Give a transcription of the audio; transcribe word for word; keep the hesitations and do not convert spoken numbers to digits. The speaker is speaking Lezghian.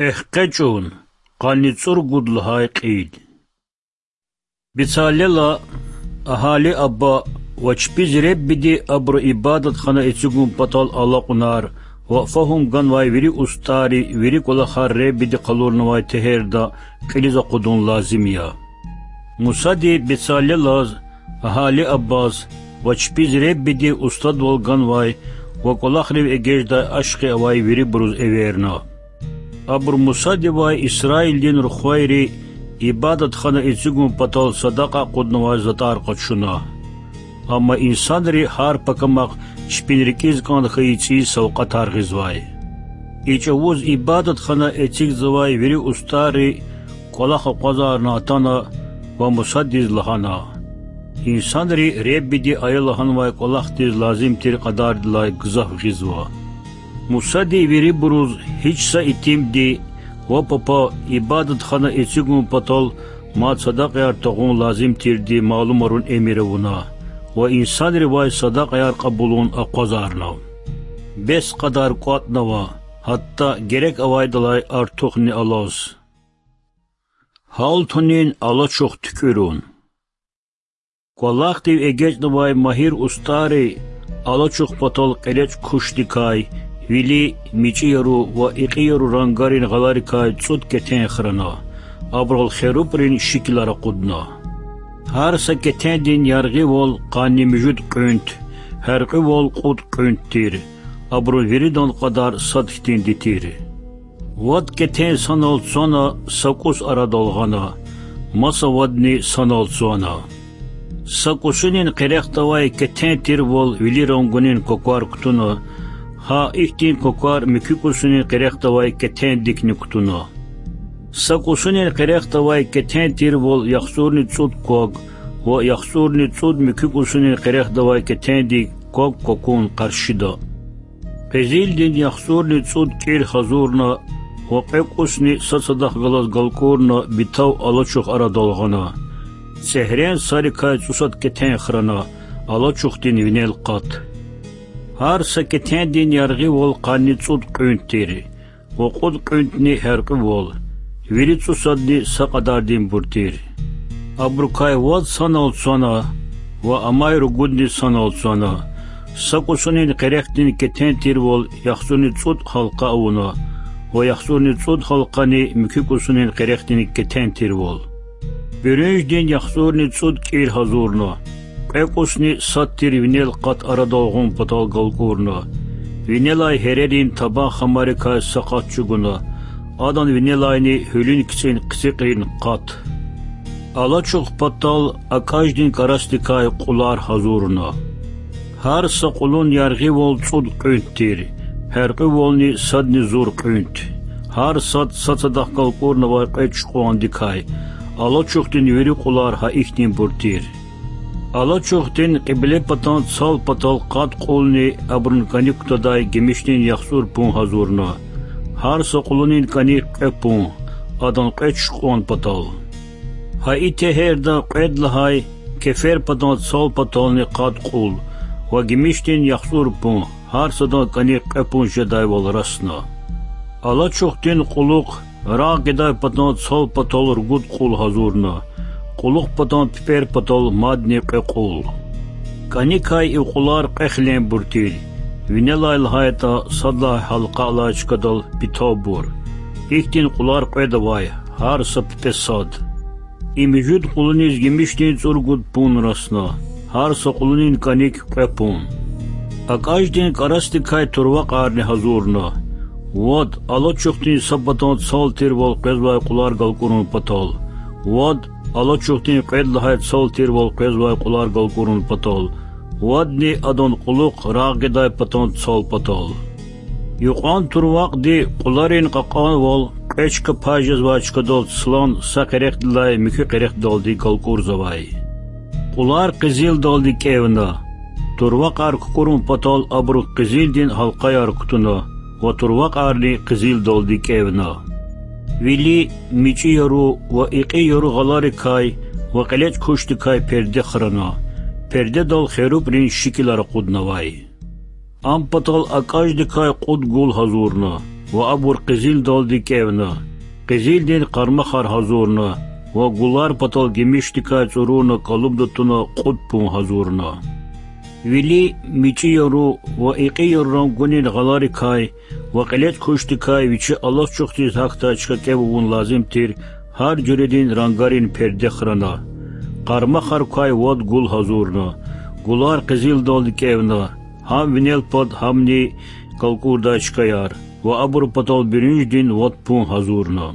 Эхкъечӏун, къанни цӏуругуд лагьай кьил. Бецалела, Агьалиаба ва чпиз Реббиди абуру ибадатхана эцигун патал алакьунар ва фагьум ганвай вири устӏарри вири кӏвалахар Реббиди къалурнавай тегьерда кьилиз акъудун лазим я. Мусади Бецалелаз, Агьалиабаз ва чпиз Реббиди устадвал ганвай ва кӏвалахрив эгечӏдай ашкъи авай вирибуруз эверна. Абуру Мусадивай Исраилдин рухвайри ибадатхана эцигун патал садакьа акъуднавай затӏар къачуна. Амма инсанри гьар пакамахъ чпин рикӏиз кӏан хьайи цӏийи савкьватар гъизвай. И чӏавуз ибадатхана эцигзавай вири устӏарри кӏвалах акъвазарна атана ва Мусадиз лагьана: Инсанри Реббиди ая лагьанвай кӏвалахдиз лазим тир кьадардилай гзаф гъизва. Мусади вирибуруз гьич са итимди ва папа ибадатхана эцигун патал мад садакьаяр тагъун лазим тирди малумарун эмир авуна ва инсанривай садакьаяр кьабулун акъвазарна. Бес кьадар кӏватӏнава, гьатта герек авайдалай артухни алаз. Гьалтунин алачух туькӏуьрун. Кӏвалахдив эгечӏнавай магьир устӏарри алачух патал кьелечӏ кушдикай вили, мичӏи яру ва икьи яру рангарин гъаларикай цӏуд кетен храна, абурал херубрин шикилар акъудна. Гьар са кетендин яргъивал къанни муьжуьд кьуьнт, гьяркьуьвал кьуд кьуьнт тир, абурун виридан кьадар сад хьтинди тир. Вад кетен санал цвана са кӏус арадал гъана, маса вадни санал цвана. Са кӏусунин къерехдавай кетен тирвал вили рангунин кваквар кутуна, гьа ихьтин кваквар муькуь кӏусунин къерехдавай кетендикни кутуна. Са кӏусунин къерехдавай кетен тирвал яхцӏурни цӏуд квак ва яхцӏурни цӏуд муькуь кӏусунин къерехдавай кетендик квак кваквун къаршида. Къизилдин яхцӏурни цӏуд кӏир гьазурна ва кьве кӏусни сад садахъ галаз галкӏурна битав алачух арадал гъана. Цӏегьрен сарикай цӏусад кетен храна, алачухдин винел къат. Гьар са кетендин яргъивал къанни цӏуд кьуьнт тир ва кьуд кьуьнтни гьяркьуьвал, вири цӏусадни са кьадардинбур тир. Абурукай вад санал цвана ва амай ругудни санал цвана. Са кӏусунин къерехдин кетен тирвал яхцӏурни цӏуд гьалкъа авуна ва яхцӏурни цӏуд гьалкъани муькуь кӏусунин къерехдин кетен тирвал. Буьрунждин яхцӏурни цӏуд кӏир гьазурна, кьве кӏусни сад тир винел къат арадал гъун патал галкӏурна. Винелай гьерерин табан хамарикай са къат чӏугуна, адан винелайни гьуьлуьн кицӏин хъицикьрин къат. Алачух патал акӏаждин кӏарасдикай кьулар гьазурна. Гьар са кьулун яргъивал цӏуд кьуьнт тир, гьяркьуьвални садни зур кьуьнт. Гьар сад сад садахъ галкӏурнавай кьве чукьвандикай, алачухдин вири кьулар гьа ихьтинбур тир. Алачухдин кьиблепатан цал патал къад кьулни абурун кӏаник кутадай гимишдин яхцӏур пун гьазурна. Гьар са кьулунин кӏаник кьве пун, адан кьве чукьван патал. Гьа и тегьерда кьвед лагьай кеферпатан цал патални къад кьул ва гимишдин яхцӏур пун, гьар садан кӏаник кьве пун жедайвал расна. Алачухдин кьулухъ рагъ гъидай патан цал патал ругуд кьул гьазурна, кьулухъ патан пипӏер патал мадни кьве кьул. Кӏаникай и кьулар кьве хиленбур тир, винелай лагьайтӏа сад лагьай гьалкъа алай чкадал питавбур. Ихьтин кьулар кьвед авай, гьар са пипӏе сад. И муьжуьд кьулуниз гимишдин цӏуругуд пун расна, гьар са кьулунин кӏаник кьве пун. Акӏаждин кӏарасдикай турвакьарни гьазурна: вад алачухдин са патан цал тирвал къвезвай кьулар галкӏурун патал, вад алачухдин кьвед лагьай цал тирвал къвезвай кьулар галкӏурун патал, вадни адан кьулухъ рагъ гъидай патан цал патал. Юкьван турвакьди кьуларин кьакьанвал кьве чка пай жезвай чкадал цлан са къерехдилай муькуь къерехдалди галкӏурзавай. Кьулар къизилдалди кӏевна. Турвакьар кукӏурун патал абуру къизилдин гьалкъаяр кутуна ва турвакьарни къизилдалди кӏевна. Вили, мичӏи яру ва икьи яру гъаларикай ва кьелечӏ кушдикай перде храна, пердедал херубрин шикилар акъуднавай. Ам патал акӏаждикай кьуд гул гьазурна. ва абур къизилдалди кӀевна. Къизилдин къармахар гьазурна ва гулар патал гимишдикай цӀуруна кӀалубда туна кьуд пун гьазурна. Вили мичӀи яру ва икьи яру рангунин гъаларикай ва кьиле цӀкучдикай вичи алачухдиз гьахьдай чка кӀев авун лазим тир, гьар жуьредин рангарин перде храна. Къармахар квай вад гул гьазурна. Гулар къизилдалди кӀевна, гьам винел пад, гьамни калкӀурдай чкаяр, ва абур патал буьруьнждин вад пун гьазурна.